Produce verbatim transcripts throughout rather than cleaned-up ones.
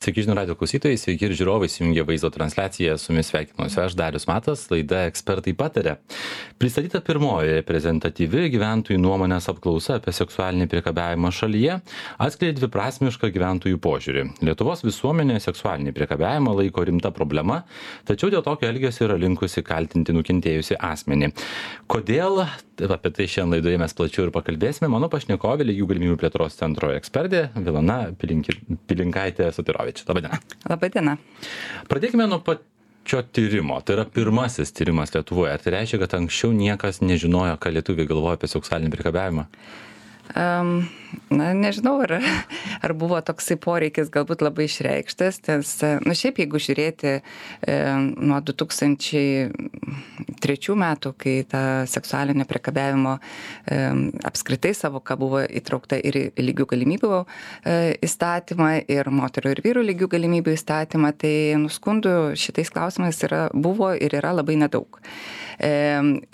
Sveiki žinių radijo klausytojai, sveiki ir žiūrovai, įsijungė vaizdo transliaciją, su jumis sveikinuosi aš, Darius Matas, laida Ekspertai pataria. Pristatyta pirmoji reprezentatyvi gyventojų nuomonės apklausa apie seksualinį priekabiavimą šalyje atskleidė dviprasmišką gyventojų požiūrį. Lietuvos visuomenė seksualinį priekabiavimą laiko rimta problema, tačiau dėl tokio elgesio yra linkusi kaltinti nukentėjusi asmenį. Kodėl? Apie tai šiandien laidoje mes plačiau ir pakalbėsime. Mano pašnekovė Lygių galimybių plėtros centro ekspertė Vilana Pilinkaitė Sotirovič. Labadiena. Labadiena. Pradėkime nuo pačio tyrimo. Tai yra pirmasis tyrimas Lietuvoje. Ar tai reiškia, kad anksčiau niekas nežinojo, ką lietuviai galvoja apie seksualinį priekabiavimą? Um, na, nežinau, ar, ar buvo toksai poreikis galbūt labai išreikštas, nes, nu, šiaip jeigu žiūrėti e, nuo du tūkstančiai trečių metų, kai ta seksualinio priekabiavimo e, apskritai savoka buvo įtraukta ir į lygių galimybių e, įstatymą, ir moterų ir vyrų lygių galimybių įstatymą, tai nuskundų šitais klausimais yra, buvo ir yra labai nedaug. E,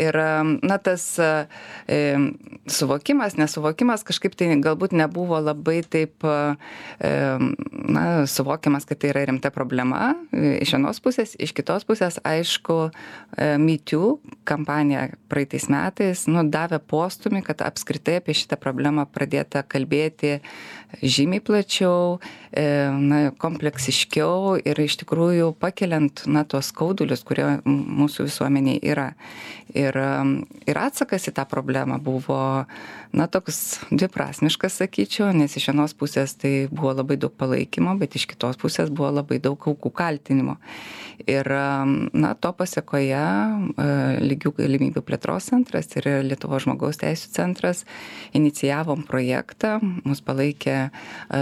ir, na, tas e, suvokimas, nesuvokimas kažkaip tai galbūt nebuvo labai taip, e, na, suvokiamas, kad tai yra rimta problema iš vienos pusės, iš kitos pusės, aišku, e, Me Too kampanija praeitais metais, nu, davė postumį, kad apskritai apie šitą problemą pradėta kalbėti žymiai plačiau, e, na, kompleksiškiau ir iš tikrųjų pakeliant, na, tuos skaudulius, kurie mūsų visuomeniai yra. Ir, ir atsakas į tą problemą buvo, na, toks dviprasmiškas, sakyčiau, nes iš vienos pusės tai buvo labai daug palaikymo, bet iš kitos pusės buvo labai daug aukų kaltinimo. Ir, na, to pasiekoje Lygių galimybių plėtros centras ir Lietuvos žmogaus teisių centras inicijavom projektą, mus palaikė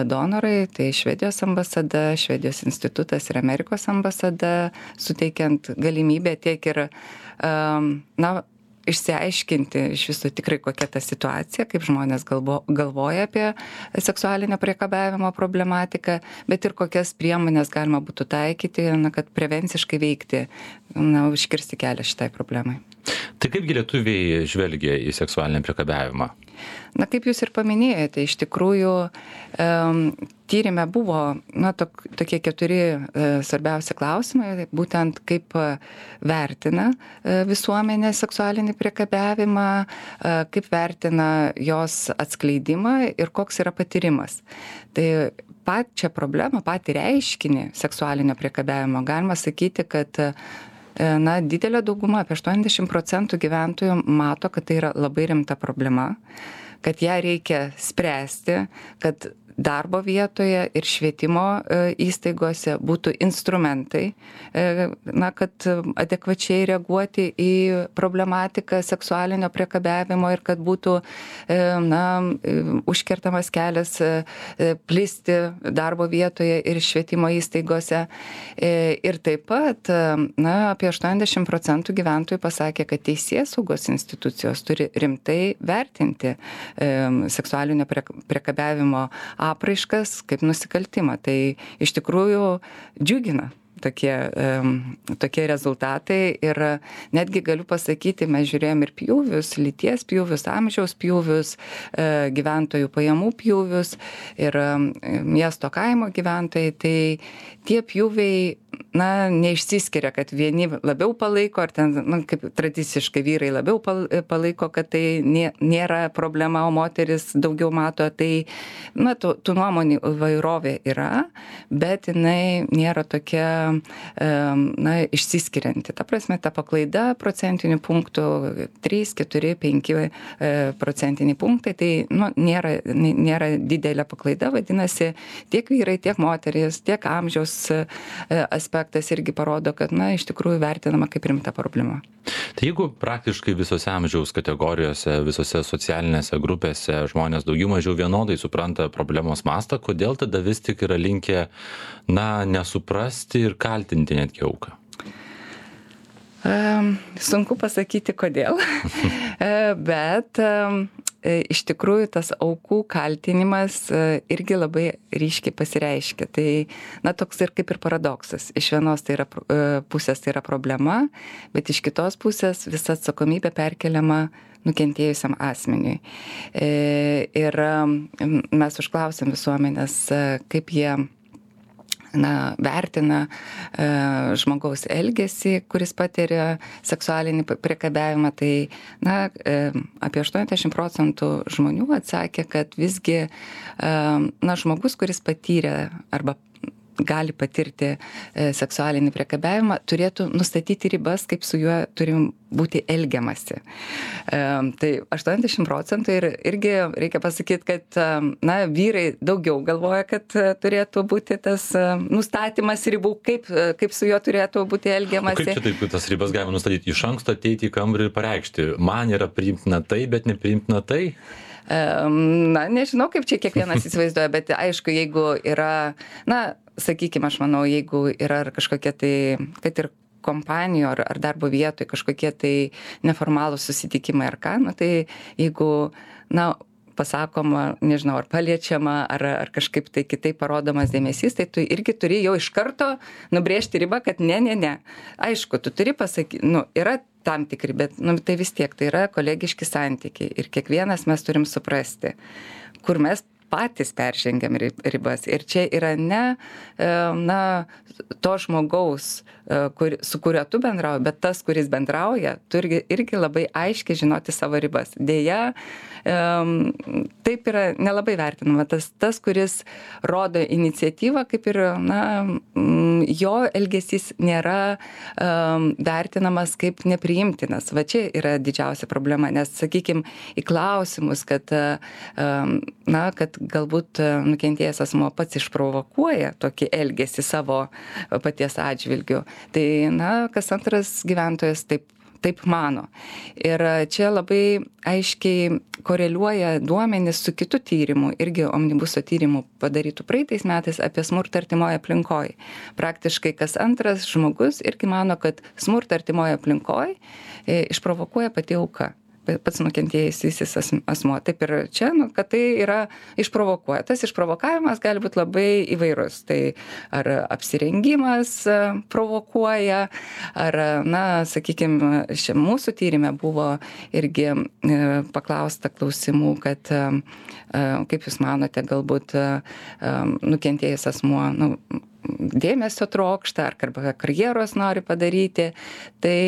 donorai, tai Švedijos ambasada, Švedijos institutas ir Amerikos ambasada, suteikiant galimybę tiek ir na, išsiaiškinti iš viso tikrai kokia ta situacija, kaip žmonės galvo, galvoja apie seksualinio priekabiavimo problematiką, bet ir kokias priemonės galima būtų taikyti, na, kad prevenciškai veikti, na, užkirsti kelią šitai problemai. Tai kaipgi lietuviai žvelgia į seksualinį priekabiavimą? Na, kaip jūs ir paminėjote, iš tikrųjų um, tyrime buvo, na, tok, tokie keturi uh, svarbiausi klausimai, būtent kaip uh, vertina uh, visuomenė seksualinį priekabiavimą, uh, kaip vertina jos atskleidimą ir koks yra patyrimas. Tai pačią problemą, patį reiškinį seksualinio priekabiavimo galima sakyti, kad uh, na, didelė dauguma, apie aštuoniasdešimt procentų gyventojų mato, kad tai yra labai rimta problema, kad ją reikia spręsti, kad darbo vietoje ir švietimo įstaigose būtų instrumentai, na, kad adekvačiai reaguoti į problematiką seksualinio priekabiavimo ir kad būtų, na, užkertamas kelias plisti darbo vietoje ir švietimo įstaigose. Ir taip pat, na, apie aštuoniasdešimt procentų gyventojų pasakė, kad teisėsaugos institucijos turi rimtai vertinti seksualinio priekabiavimo apraiškas kaip nusikaltimą. Tai iš tikrųjų džiugina tokie, tokie rezultatai ir netgi galiu pasakyti, mes žiūrėjom ir pjūvius, lyties pjūvius, amžiaus pjūvius, gyventojų pajamų pjūvius ir miesto kaimo gyventojai, tai tie pjūviai, na, neišsiskiria, kad vieni labiau palaiko, ar ten, na, kaip tradiciškai vyrai labiau palaiko, kad tai nėra problema, o moteris daugiau mato, tai, na, tų, tų nuomonių įvairovė yra, bet jinai nėra tokia, na, išsiskirianti. Ta prasme, ta paklaida procentinių punktų trys, keturi, penki procentiniai punktai, tai, nu, nėra, nėra didelė paklaida, vadinasi, tiek vyrai, tiek moteris, tiek amžiaus aspektas irgi parodo, kad, na, iš tikrųjų vertinama kaip rimta problema. Tai jeigu praktiškai visose amžiaus kategorijose, visose socialinėse grupėse žmonės daugiau mažiau vienodai supranta problemos mastą, kodėl tada vis tik yra linkę, na, nesuprasti ir kaltinti netgi auką? Um, sunku pasakyti kodėl, bet um, iš tikrųjų tas aukų kaltinimas irgi labai ryškiai pasireiškia. Tai, na, toks ir kaip ir paradoksas. Iš vienos tai yra, pusės tai yra problema, bet iš kitos pusės visa atsakomybė perkeliama nukentėjusiam asmeniui. Ir mes užklausėm visuomenės, kaip jie na, vertina e, žmogaus elgesį, kuris patiria seksualinį priekabiavimą, tai na, e, apie aštuoniasdešimt procentų žmonių atsakė, kad visgi e, na, žmogus, kuris patyrė arba gali patirti e, seksualinį priekabiavimą, turėtų nustatyti ribas, kaip su juo turim būti elgiamasi. E, tai aštuoniasdešimt procentų ir irgi reikia pasakyti, kad e, na, vyrai daugiau galvoja, kad e, turėtų būti tas e, nustatymas ribų, kaip, e, kaip su juo turėtų būti elgiamasi. O kaip čia taip, tas ribas galima nustatyti iš anksto, ateiti į kambarį ir pareikšti, man yra priimtina tai, bet nepriimtina tai? Na, nežinau, kaip čia kiekvienas įsivaizduoja, bet aišku, jeigu yra, na, sakykime, aš manau, jeigu yra kažkokie tai, kad ir kompanijų ar, ar darbo vietoje kažkokie tai neformalūs susitikimai ar ką, na, tai jeigu, na, pasakoma, nežinau, ar paliečiama, ar, ar kažkaip tai kitaip parodomas dėmesys, tai tu irgi turi jau iš karto nubrėžti ribą, kad ne, ne, ne. Aišku, tu turi pasakyti, nu, yra tam tikri, bet nu, tai vis tiek, tai yra kolegiški santykiai ir kiekvienas mes turim suprasti, kur mes patys peržengiam ribas. Ir čia yra ne, na, to žmogaus, kur, su kuriuo tu bendrauji, bet tas, kuris bendrauja, turi irgi labai aiškiai žinoti savo ribas. Deja, taip yra nelabai vertinama. Tas, tas kuris rodo iniciatyvą, kaip ir, na, jo elgesys nėra um, vertinamas kaip nepriimtinas. Va čia yra didžiausia problema, nes, sakykime, į klausimus, kad, um, na, kad galbūt nukentėjęs asmuo pats išprovokuoja tokį elgesį savo paties atžvilgiu, tai, na, kas antras gyventojas taip taip mano. Ir čia labai aiškiai koreliuoja duomenys su kitu tyrimu, irgi Omnibuso tyrimu padarytų praeitais metais apie smurtą artimoje aplinkoje. Praktiškai kas antras žmogus irgi mano, kad smurtą artimoje aplinkoje išprovokuoja pati auka, pats nukentėjusysis asmuo. Taip ir čia, nu, kad tai yra išprovokuoja. Tas išprovokavimas gali būti labai įvairus. Tai ar apsirengimas provokuoja, ar, na, sakykime, mūsų tyrime buvo irgi paklausta klausimų, kad kaip jūs manote, galbūt nukentėjus asmuo, nu, dėmesio trokšta ar karjeros nori padaryti, tai,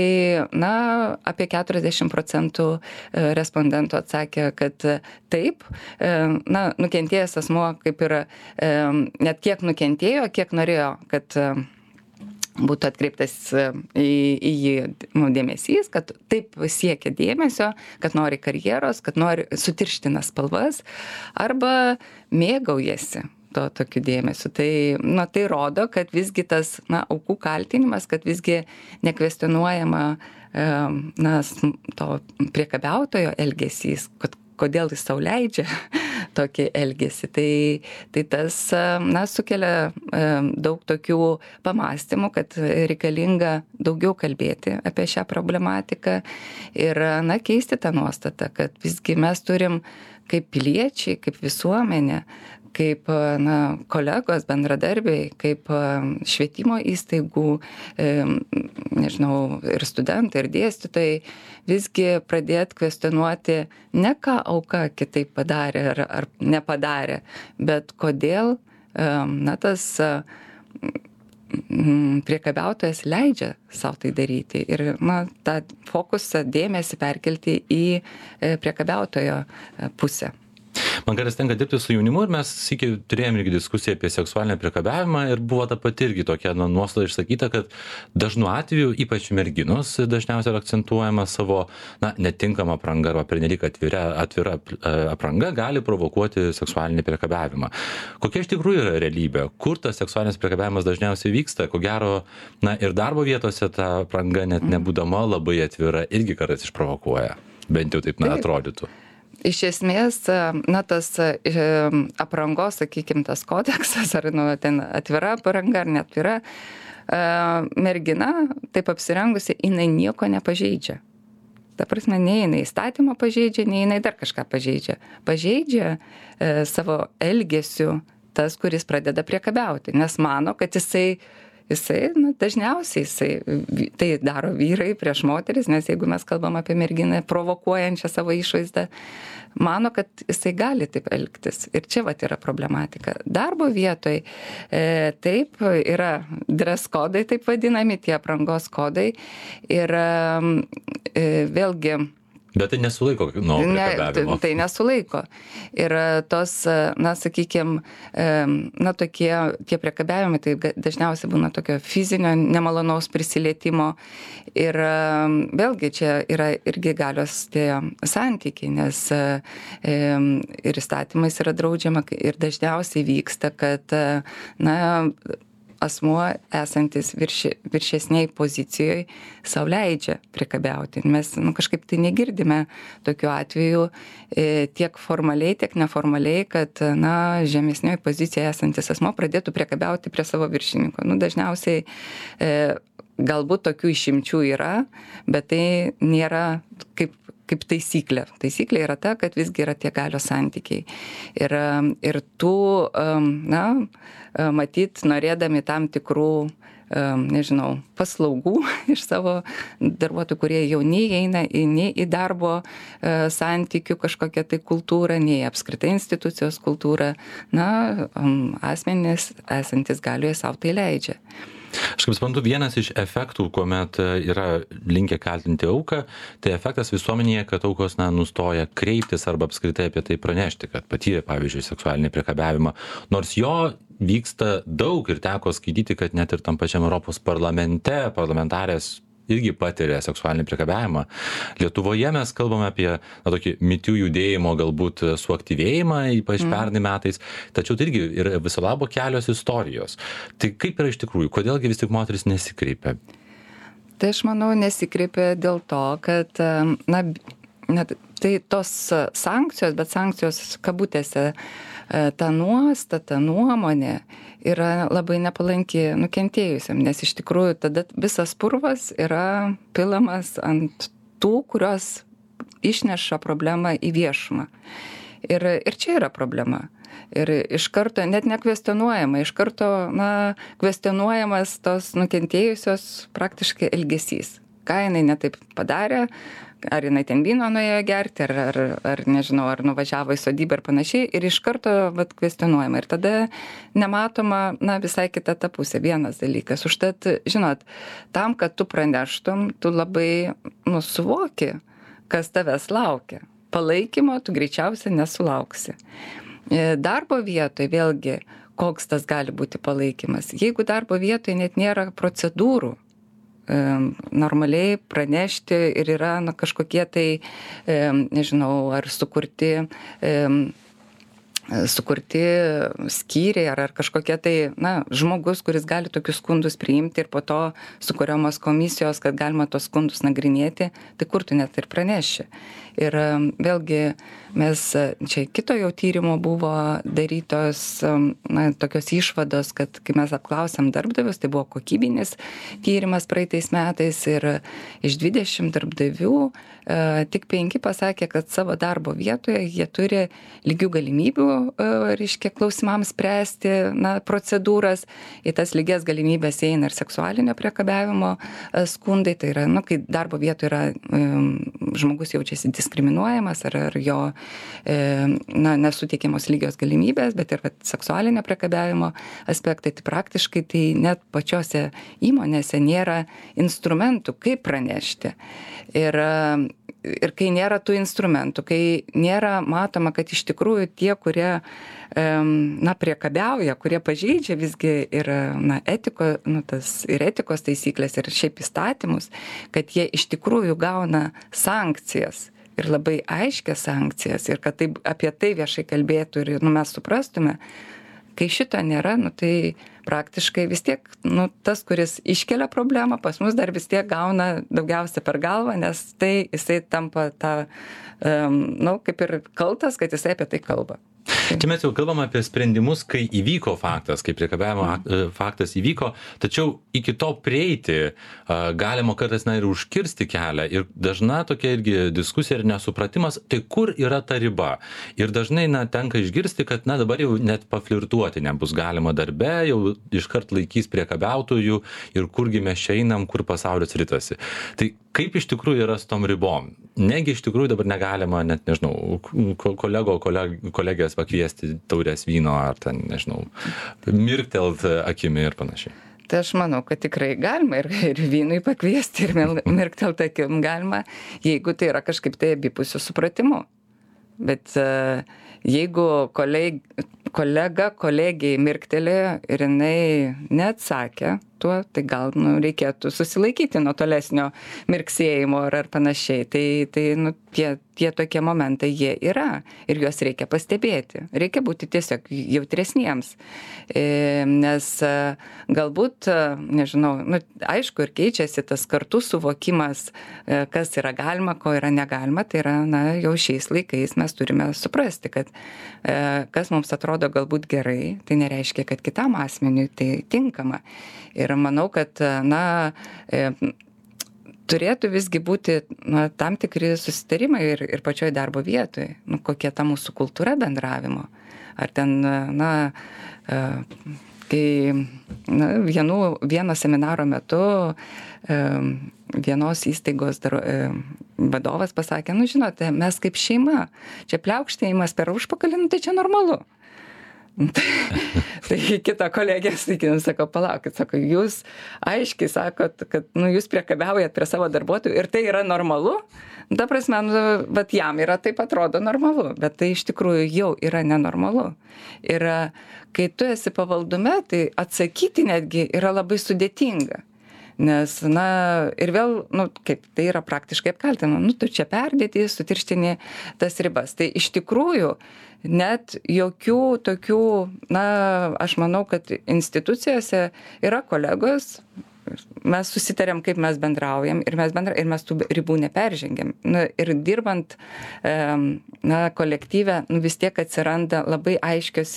na, apie keturiasdešimt procentų respondentų atsakė, kad taip, na, nukentėjęs asmuo kaip ir net kiek nukentėjo, kiek norėjo, kad būtų atkreiptas į, į jį, nu, dėmesys, kad taip siekia dėmesio, kad nori karjeros, kad nori sutirština spalvas arba mėgaujasi to tokiu dėmesiu. Tai, nu, tai rodo, kad visgi tas, na, aukų kaltinimas, kad visgi nekvestionuojama, na, to priekabiautojo elgesys, kad kodėl jis sau leidžia tokį elgesį. Tai, tai tas, na, sukelia daug tokių pamastymų, kad reikalinga daugiau kalbėti apie šią problematiką ir, na, keisti tą nuostatą, kad visgi mes turim kaip piliečiai, kaip visuomenė, kaip, na, kolegos, bendradarbiai, kaip švietimo įstaigų, nežinau, ir studentai, ir dėstytojai, visgi pradėti kvestionuoti ne ką auka kitaip padarė ar, ar nepadarė, bet kodėl, na, tas priekabiautojas leidžia savo tai daryti ir, na, tą fokusą, dėmesį perkelti į priekabiautojo pusę. Man kartais tenka dirbti su jaunimu ir mes sykį turėjome irgi diskusiją apie seksualinį priekabiavimą ir buvo ta pati irgi tokia, na, nuostata išsakyta, kad dažnu atveju, ypač merginos, dažniausiai yra akcentuojama savo, na, netinkama apranga arba pernelyg atvira, atvira apranga gali provokuoti seksualinį priekabiavimą. Kokia iš tikrųjų yra realybė? Kur tas seksualinis priekabiavimas dažniausiai vyksta? Ko gero, na, ir darbo vietose ta apranga net nebūdama labai atvira irgi kartais išprovokuoja. Bent jau taip, na, atrodytų. Iš esmės, na, tas aprangos, sakykime, tas kodeksas, ar, nu, ten atvira apranga ar neatvira, mergina, taip apsirengusi, jinai nieko nepažeidžia. Ta prasme, nei jinai įstatymą pažeidžia, nei jinai dar kažką pažeidžia. Pažeidžia e, savo elgesiu tas, kuris pradeda priekabiauti, nes mano, kad jisai jisai, na, dažniausiai jisai tai daro vyrai prieš moteris, nes jeigu mes kalbam apie merginą provokuojančią savo išvaizdą, mano, kad jisai gali taip elgtis. Ir čia vat yra problematika. Darbo vietoj e, taip yra dress kodai, taip vadinami, tie aprangos kodai. Ir e, vėlgi, bet tai nesulaiko nuo priekabiavimo. Ne, tai nesulaiko. Ir tos, na, sakykime, na, tokie, tie priekabiavimai, tai dažniausiai būna tokio fizinio, nemalonaus prisilietimo. Ir vėlgi čia yra irgi galios tie santykiai, nes ir įstatymais yra draudžiama ir dažniausiai vyksta, kad, na, asmuo esantis virši, viršesniai pozicijoje sau leidžia priekabiauti. Mes nu, kažkaip tai negirdime tokiu atveju e, tiek formaliai, tiek neformaliai, kad na, žemesnioje pozicijoje esantis asmuo pradėtų priekabiauti prie savo viršininko. Nu, dažniausiai e, galbūt tokių išimčių yra, bet tai nėra kaip kaip taisyklė. Taisyklė yra ta, kad visgi yra tie galios santykiai. Ir, ir tų, na, matyt, norėdami tam tikrų, nežinau, paslaugų iš savo darbuotojų, kurie jau neįeina į, nei į darbo santykių kažkokią tai kultūrą, nei apskritai institucijos kultūrą, na, asmenys esantis galioje savo tai leidžia. Aš kaip suprantu, vienas iš efektų, kuomet yra linkę kaltinti auką, tai efektas visuomenėje, kad aukos na, nustoja kreiptis arba apskritai apie tai pranešti, kad patyrė, pavyzdžiui, seksualinį priekabiavimą, nors jo vyksta daug ir teko skaityti, kad net ir tam pačiam Europos parlamente parlamentarės irgi patiria seksualinį priekabiavimą. Lietuvoje mes kalbame apie na, tokį mitų judėjimo galbūt suaktyvėjimą, ypač mm. pernai metais, tačiau tai irgi yra viso labo kelios istorijos. Tai kaip yra iš tikrųjų, kodėlgi vis tik moteris nesikreipia? Tai aš manau nesikreipia dėl to, kad na, net, tai tos sankcijos, bet sankcijos kabutėse, ta nuostata, nuomonė yra labai nepalanki nukentėjusiam, nes iš tikrųjų tada visas purvas yra pilamas ant tų, kurios išneša problemą į viešumą. Ir, ir čia yra problema. Ir iš karto, net nekvestionuojama, iš karto, na, kvestionuojamas tos nukentėjusios praktiškai elgesys. Ką jinai netaip padarė, ar jinai ten vyno nuėjo gerti, ar, ar, ar nežinau, ar nuvažiavo į sodybą ir panašiai, ir iš karto vat, kvestionuojama. Ir tada nematoma, na, visai kita ta pusė, vienas dalykas. Užtat, žinot, tam, kad tu praneštum, tu labai, nu, suvoki, kas tavęs laukia. Palaikymo tu greičiausiai nesulauksi. Darbo vietoje vėlgi, koks tas gali būti palaikymas. Jeigu darbo vietoje net nėra procedūrų, normaliai pranešti ir yra na, kažkokie tai, nežinau, ar sukurti, sukurti skyriai ar, ar kažkokie tai, na, žmogus, kuris gali tokius skundus priimti ir po to sukuriamos komisijos, kad galima tos skundus nagrinėti, tai kur tu net ir praneši. Ir vėlgi mes, čia kito jau tyrimo buvo darytos na, tokios išvados, kad kai mes apklausėm darbdavius, tai buvo kokybinis tyrimas praeitais metais ir iš dvidešimt darbdavių e, tik penki pasakė, kad savo darbo vietoje jie turi lygių galimybių, e, reiškia, klausimams spręsti na, procedūras. Į tas lygias galimybės eina ir seksualinio priekabiavimo e, skundai, tai yra, nu, kai darbo vietoje yra e, žmogus jaučiasi diskriminuojamas ar, ar jo na, nesuteikiamos lygios galimybės, bet ir vat, seksualinio priekabiavimo aspektai, tai praktiškai tai net pačiose įmonėse nėra instrumentų, kaip pranešti. Ir, ir kai nėra tų instrumentų, kai nėra matoma, kad iš tikrųjų tie, kurie na, priekabiauja, kurie pažeidžia visgi ir, na, etiko, nu, tas, ir etikos taisyklės, ir šiaip įstatymus, kad jie iš tikrųjų gauna sankcijas. Ir labai aiškias sankcijas, ir kad taip, apie tai viešai kalbėtų ir nu, mes suprastume, kai šito nėra, nu, tai praktiškai vis tiek nu, tas, kuris iškelia problemą, pas mus dar vis tiek gauna daugiausia per galvą, nes tai jisai tampa ta, um, nu, kaip ir kaltas, kad jisai apie tai kalba. Čia mes jau kalbam apie sprendimus, kai įvyko faktas, kai priekabiavimo mm. faktas įvyko, tačiau iki to prieiti galima kartais na, ir užkirsti kelią. Ir dažna tokia irgi diskusija ir nesupratimas, tai kur yra ta riba. Ir dažnai na, tenka išgirsti, kad na, dabar jau net paflirtuoti nebus galima darbe, jau iškart laikys priekabiautojų ir kurgi mes čia einam, kur pasaulis ritasi. Tai kaip iš tikrųjų yra su tom ribom? Negi iš tikrųjų dabar negalima, net nežinau, kolego, koleg, kolegės pakviesti taurės vyno ar ten, nežinau, mirktelt akimi ir panašiai. Tai aš manau, kad tikrai galima ir, ir vynui pakviesti, ir mirktelt akim galima, jeigu tai yra kažkaip tai abipusiu supratimu. Bet uh, jeigu koleg, kolega kolegijai mirktelėjo ir jinai neatsakė tuo, tai gal nu, reikėtų susilaikyti nuo tolesnio mirksėjimo ar, ar panašiai. Tai, tai nu, tie, tie tokie momentai jie yra ir juos reikia pastebėti. Reikia būti tiesiog jautresniems. E, nes galbūt, nežinau, nu, aišku ir keičiasi tas kartų suvokimas, kas yra galima, ko yra negalima. Tai yra, na, jau šiais laikais mes turime suprasti, kad e, kas mums atrodo galbūt gerai, tai nereiškia, kad kitam asmeniui tai tinkama. Ir manau, kad, na, e, turėtų visgi būti na, tam tikri susitarimai ir, ir pačioj darbo vietoje, nu, kokia ta mūsų kultūra bendravimo. Ar ten, na, e, kai na, vienų, vieno seminaro metu e, vienos įstaigos dar, e, vadovas pasakė, nu, žinote, mes kaip šeima, čia pliaukštėjimas per užpakalį, nu, tai čia normalu. Tai kita kolegė, sakykime, sako, palaukit, sako, jūs aiškiai sakot, kad nu, jūs priekabiaujat prie savo darbuotojų ir tai yra normalu. Ta prasme, nu, bet jam yra taip atrodo normalu, bet tai iš tikrųjų jau yra nenormalu. Ir kai tu esi pavaldume, tai atsakyti netgi yra labai sudėtinga. Nes, na, ir vėl, nu, kaip tai yra praktiškai apkaltinama, nu, tu čia perdėti, sutirštini tas ribas. Tai iš tikrųjų net jokių tokių, na, aš manau, kad institucijose yra kolegos, mes susitarėm, kaip mes bendraujam ir mes, bendra, ir mes tų ribų neperžengiam. Na, ir dirbant na, kolektyve, nu, vis tiek atsiranda labai aiškios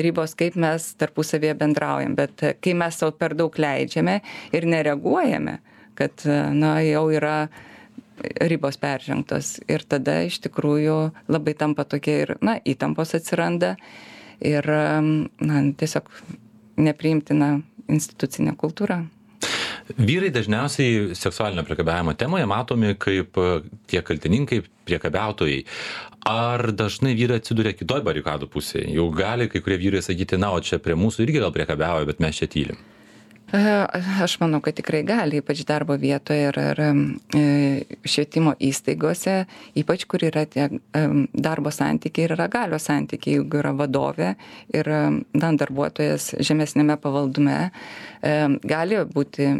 ribos, kaip mes tarpusavėje bendraujam. Bet kai mes savo per daug leidžiame ir nereaguojame, kad na, jau yra ribos peržengtos ir tada iš tikrųjų labai tampa tokia ir, na, įtampos atsiranda ir, na, tiesiog nepriimtina institucinė kultūra. Vyrai dažniausiai seksualinio priekabiavimo temoje matomi kaip tie kaltininkai, priekabiautojai. Ar dažnai vyrai atsiduria kitoj barikadų pusėje? Jau gali kai kurie vyrai sakyti, na, o čia prie mūsų irgi gal priekabiauja, bet mes čia tylim. Aš manau, kad tikrai gali, ypač darbo vietoje ir, ir švietimo įstaigose, ypač kur yra tie darbo santykiai ir yra galios santykiai, jeigu yra vadovė ir na, darbuotojas žemesnėme pavaldume, gali būti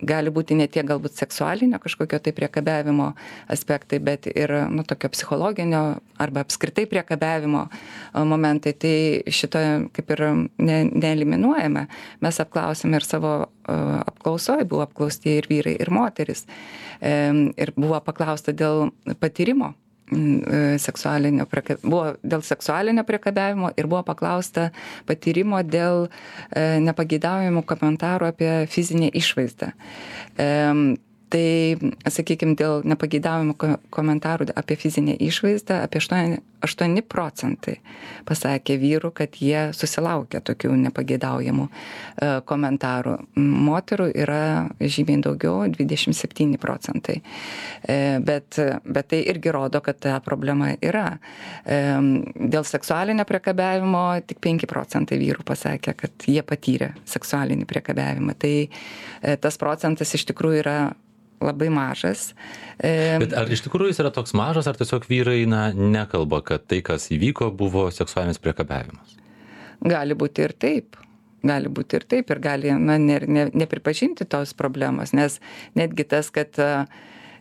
gali būti ne tiek galbūt seksualinio kažkokio tai priekabiavimo aspektai, bet ir nu, tokio psichologinio arba apskritai priekabiavimo momentai. Tai šito kaip ir ne, neeliminuojame. Mes apklausėme ir savo apklausoje, buvo apklausti ir vyrai, ir moteris. Ir buvo paklausta dėl patyrimo seksualinio priekabiavimo, buvo dėl seksualinio priekabiavimo ir buvo paklausta patyrimo dėl e, nepageidaujamų komentarų apie fizinę išvaizdą. E, tai, sakykime, dėl nepageidaujamų komentarų apie fizinę išvaizdą apie aštuoni procentai pasakė vyrų, kad jie susilaukia tokių nepageidaujamų e, komentarų. Moterų yra žymiai daugiau, dvidešimt septyni procentai. E, bet, bet tai irgi rodo, kad ta problema yra. E, dėl seksualinio priekabiavimo tik penki procentai vyrų pasakė, kad jie patyrė seksualinį priekabiavimą. Tai e, tas procentas iš tikrųjų yra labai mažas. Bet ar iš tikrųjų jis yra toks mažas, ar tiesiog vyrai na, nekalba, kad tai, kas įvyko, buvo seksualinis priekabiavimas? Gali būti ir taip. Gali būti ir taip ir gali na, ne, ne, nepripažinti tos problemos, nes netgi tas, kad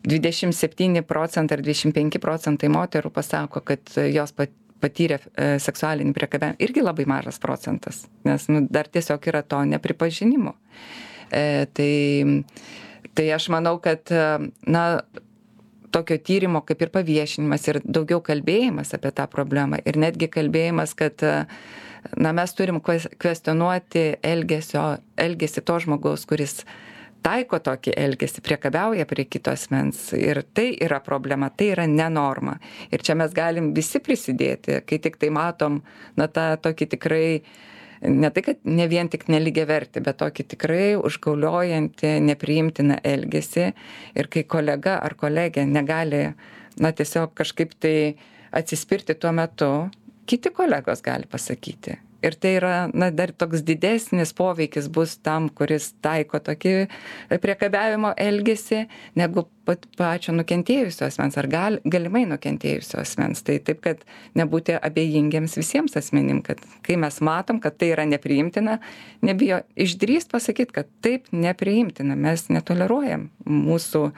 dvidešimt septyni procentai ar dvidešimt penki procentai moterų pasako, kad jos pat patyrė seksualinį priekabiavimą, irgi labai mažas procentas, nes nu, dar tiesiog yra to nepripažinimo. E, tai Tai aš manau, kad na, tokio tyrimo kaip ir paviešinimas ir daugiau kalbėjimas apie tą problemą ir netgi kalbėjimas, kad na, mes turim kvestionuoti elgesio, elgesį to žmogaus, kuris taiko tokį elgesį, priekabiauja prie kito asmens. Ir tai yra problema, tai yra nenorma. Ir čia mes galim visi prisidėti, kai tik tai matom, na, tą tokį tikrai, ne tai, kad ne vien tik nelygiavertį, bet tokį tikrai užgauliojantį, nepriimtiną elgesį. Ir kai kolega ar kolegė negali, na, tiesiog kažkaip tai atsispirti tuo metu, kiti kolegos gali pasakyti. Ir tai yra, na, dar toks didesnis poveikis bus tam, kuris taiko tokį priekabiavimo elgesį, negu pat pačio nukentėjusio asmens, ar gal, galimai nukentėjusio asmens. Tai taip, kad nebūti abejingiems visiems asmenim, kad kai mes matom, kad tai yra nepriimtina, nebijo išdrįst pasakyti, kad taip nepriimtina, mes netoleruojam mūsų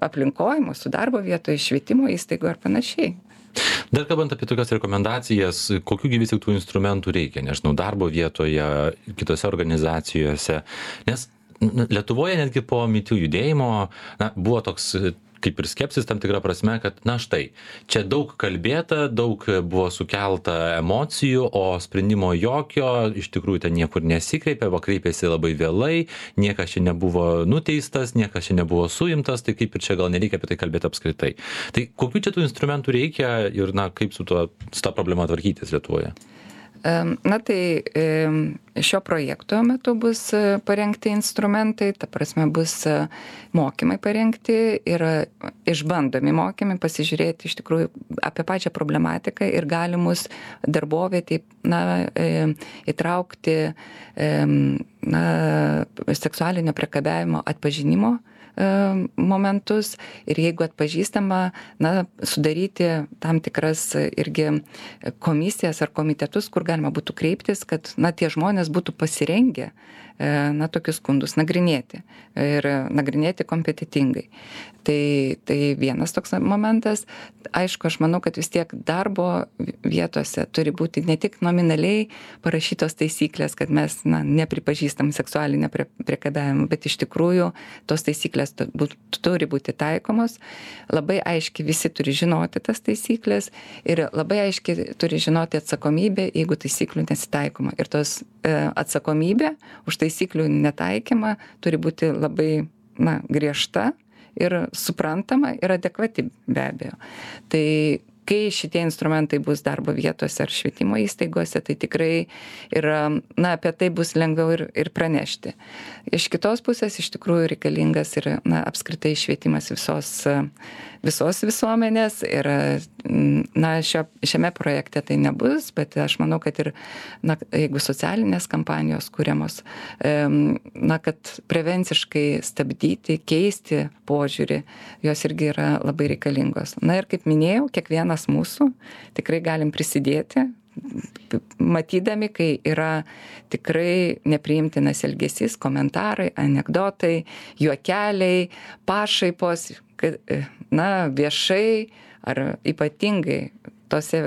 aplinkoje, mūsų darbo vietoje, švietimo įstaigų ar panašiai. Dar kalbant apie tokias rekomendacijas, kokių gi vis tik tų instrumentų reikia, nežinau, darbo vietoje, kitose organizacijose, nes Lietuvoje netgi po Me Too judėjimo na, buvo toks kaip ir skepsis tam tikra prasme, kad na štai, čia daug kalbėta, daug buvo sukelta emocijų, o sprendimo jokio, iš tikrųjų ten niekur nesikreipė, o kreipėsi labai vėlai, niekas čia nebuvo nuteistas, niekas čia nebuvo suimtas, tai kaip ir čia gal nereikia apie tai kalbėti apskritai. Tai kokių čia tų instrumentų reikia ir na, kaip su, tuo, su tą problemą tvarkytis Lietuvoje? Na tai šio projekto metu bus parengti instrumentai, ta prasme bus mokymai parengti ir išbandomi mokymai, pasižiūrėti iš tikrųjų apie pačią problematiką ir galimus darbovietį, na, įtraukti na, seksualinio priekabiavimo atpažinimo momentus ir jeigu atpažįstama, na, sudaryti tam tikras irgi komisijas ar komitetus, kur galima būtų kreiptis, kad, na, tie žmonės būtų pasirengę, na, tokius skundus nagrinėti ir nagrinėti kompetitingai. Tai, tai vienas toks momentas. Aišku, aš manau, kad vis tiek darbo vietose turi būti ne tik nominaliai parašytos taisyklės, kad mes, na, nepripažįstam seksualinę priekabiavimą, bet iš tikrųjų tos taisyklės turi būti taikomos. Labai aiškiai visi turi žinoti tas taisyklės ir labai aiškiai turi žinoti atsakomybę, jeigu taisyklių nesitaikoma. Ir tos e, atsakomybė už taisyklių netaikymą turi būti labai, na, griežta ir suprantama ir adekvati be abejo. Tai kai šitie instrumentai bus darbo vietose ar švietimo įstaigose, tai tikrai ir, na, apie tai bus lengviau ir, ir pranešti. Iš kitos pusės iš tikrųjų reikalingas ir, na, apskritai švietimas visos, visos visuomenės ir, na, šio, šiame projekte tai nebus, bet aš manau, kad ir, na, jeigu socialinės kampanijos kuriamos, na, kad prevenciškai stabdyti, keisti požiūrį, jos irgi yra labai reikalingos. Na ir kaip minėjau, kiekvienas mūsų tikrai galim prisidėti, matydami, kai yra tikrai nepriimtinas elgesys, komentarai, anekdotai, juokeliai, pašaipos, na, viešai ar ypatingai tose,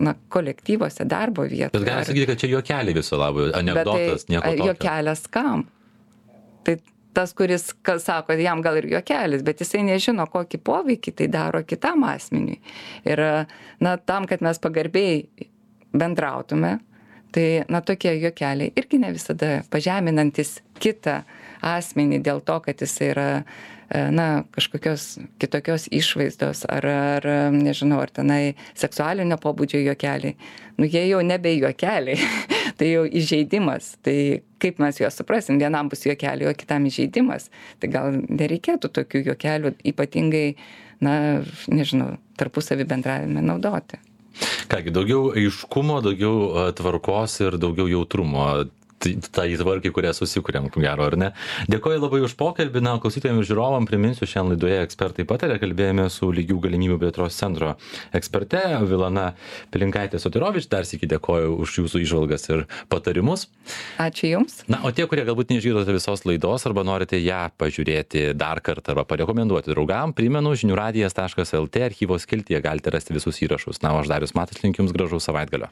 na, kolektyvose, darbo vietoje. Bet galima sakyti, kad čia juokeliai viso labo, anekdotas, tai, nieko tokio. Juokelis kam? Tai tas, kuris sako, jam gal ir juokelis, bet jisai nežino, kokį poveikį tai daro kitam asmeniui. Ir, na, tam, kad mes pagarbiai bendrautume, tai, na, tokie juokeliai irgi ne visada pažeminantis kitą asmenį dėl to, kad jisai yra, na, kažkokios kitokios išvaizdos ar, ar nežinau, ar tenai seksualinio pobūdžio juokeliai. Nu, jie jau nebe juokeliai, tai jau įžeidimas. Tai kaip mes juos suprasim, vienam bus juokeliai, o kitam įžeidimas. Tai gal nereikėtų tokių juokelių ypatingai, na, nežinau, tarpusavį bendravime naudoti. Kągi, daugiau aiškumo, daugiau tvarkos ir daugiau jautrumo. Tai tvarkai, kurią susikūrėm, ko gero, ar ne? Dėkoju labai už pokalbį. Na, klausytojams ir žiūrovam priminsiu, šiandien laidoje ekspertai pataria, kalbėjome su Lygių galimybių plėtros centro eksperte Vilana Pilinkaitė-Sotirovič. Dar sykį dėkoju už jūsų įžvalgas ir patarimus. Ačiū Jums. Na, o tie, kurie galbūt neišgirdote visos laidos arba norite ją pažiūrėti dar kartą arba parekomenduoti draugam, primenu, žinių radijas taškas lt archyvos skiltyje galite rasti visus įrašus. Na, o aš Darius Matas linkiu Jums gražaus savaitgalio.